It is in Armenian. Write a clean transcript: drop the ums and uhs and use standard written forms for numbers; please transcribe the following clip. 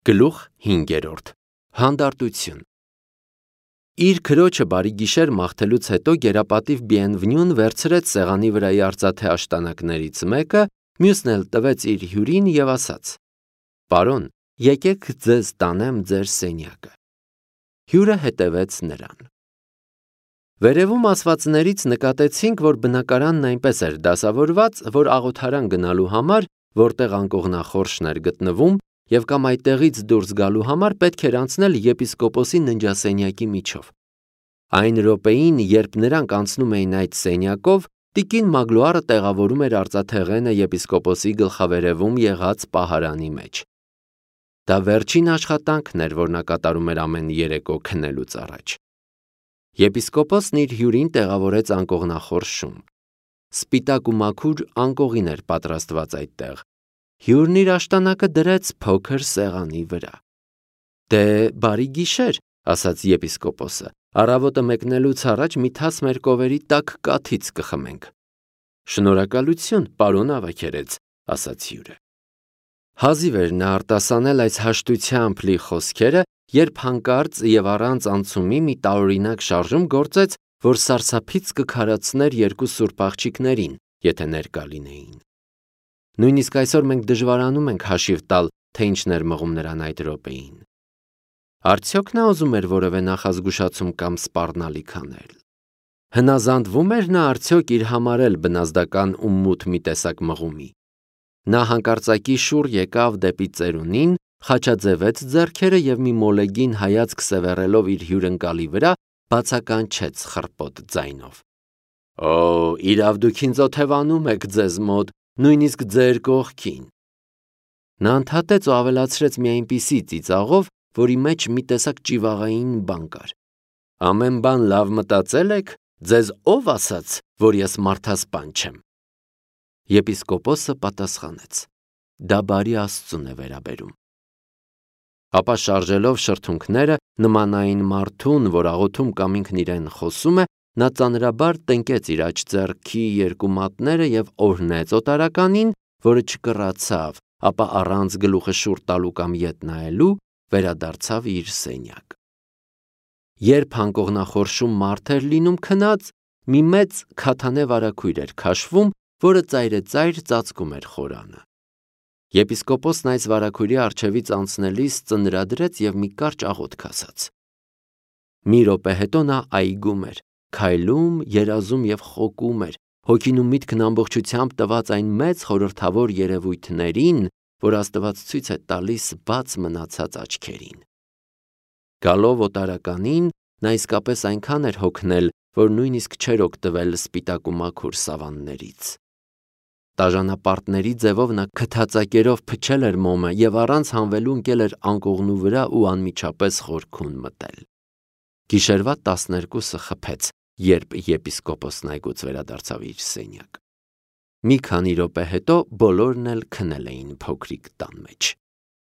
Գլուխ 5. Հանդարտություն։ Իր քրոջը բարի գիշեր մաղթելուց հետո գերապատիվ Բիենվնյուն վերցրեց սեղանի վրայի արծաթե աշտանակներից մեկը, մյուսն էլ տվեց իր հյուրին և ասաց. «Պարոն, եկեք ձեզ տանեմ ձեր սենյակը»։ Հյուրը հետևեց նրան։ Վերևում ասվածներից նկատեցինք, որ բնակարանն այնպես էր դասավորված, որ աղոթարան գնալու համար, որտեղ անկողնախորշն էր գտնվում, և կամ այդտեղից դուրս գալու համար պետք էր անցնել եպիսկոպոսի ննջասենյակի միջով։ Այն րոպեին, երբ նրանք անցնում էին այդ սենյակով, տիկին Մագլուարը տեղավորում էր արծաթեղենը եպիսկոպոսի գլխավերևում եղած պահարանի մեջ։ Դա վերջին աշխատանքն էր, որ նա կատարում էր ամեն երեկո քնելուց առաջ։ Եպիսկոպոսն իր հյուրին տեղավորեց անկողնախորշում։ Սպիտակ ու մաքուր անկողին էր պատրաստված այդտեղ։ Հյուրն իր աշտանակը դրեց փոքր սեղանի վրա։ «Դե, բարի գիշեր», ասաց եպիսկոպոսը, «առավոտը մեկնելուց առաջ մի թաս մեր կովերի տաք կաթից կխմենք»։ «Շնորհակալություն, պարոն Ավագերեց», ասաց հյուրը։ Հազիվ էր նա արտասանել այս հաշտությամբ լի խոսքերը, երբ հանկարծ և առանց անցումի մի տարօրինակ շարժում գործեց, որ սարսափից կքարացներ երկու սուրբ աղջիկներին, եթե ներկա լինեին։ Նույնիսկ այսօր մենք դժվարանում ենք հաշիվ տալ, թե ինչն էր մղում նրան այդ րոպեին։ Արդյոք նա ուզում էր որևէ նախազգուշացում կամ սպառնալիք անել։ Հնազանդվում էր նա արդյոք իր համար էլ բնազդական ու մութ մի տեսակ մղումի։ Նա հանկարծակի շուռ եկավ դեպի ծերունին, խաչաձևեց ձեռքերը և մի մոլեգին հայացք սևեռելով իր հյուրընկալի վրա, բացականչեց խռպոտ ձայնով. «Օ, իրավ դուք ինձ օթևանում եք ձեզ մոտ, նույնիսկ ձեր կողքին»։ Նա ընդհատեց ու ավելացրեց մի այնպիսի ծիծաղով, որի մեջ մի տեսակ ճիվաղային բան կար. «Ամեն բան լավ մտածել եք, ձեզ ով ասաց, որ ես մարդասպան չեմ»։ Եպիսկոպոսը պատասխանեց. «Դա բարի Աստծուն է վերաբերում»։ Ապա շարժելով շրթունքները նմանային մարդուն, որ աղոթում կամ ինքն իրեն խոսում է, նա ծանրաբար տնկեց իր աջ ձեռքի երկու մատները և օրհնեց օտարականին, որը չկռացավ, ապա առանց գլուխը շուռ տալու կամ ետ նայելու, վերադարձավ իր սենյակ։ Երբ անկողնախորշում մարդ էր լինում քնած, մի մեծ քաթանե վարագույր էր քաշվում, որը ծայրեծայր ծածկում էր խորանը։ Եպիսկոպոսն այս վարագույրի առջևից անցնելիս ծնրադրեց և մի կարճ աղոթք ասաց։ Մի րոպե հետո նա այգում էր, քայլում, երազում և խոկում էր, հոգին ու միտքն ամբողջությամբ տված այն մեծ խորհրդավոր երևույթներին, որ Աստված ցույց է տալիս բաց մնացած աչքերին։ Գալով օտարականին, նա իսկապես այնքան էր հոգնել, որ նույնիսկ չէր օգտվել սպիտակ ու մաքուր սավաններից։ Տաժանապարտների ձևով նա քթածակերով փչել էր մոմը և առանց հանվելու ընկել էր անկողնու վրա ու անմիջապես խորքում մտել։ Գիշերվա 12-ը խփեց, երբ եպիսկոպոսն այգուց վերադարձավ իր սենյակ։ Մի քանի րոպե հետո բոլորն էլ քնել էին փոքրիկ տան մեջ։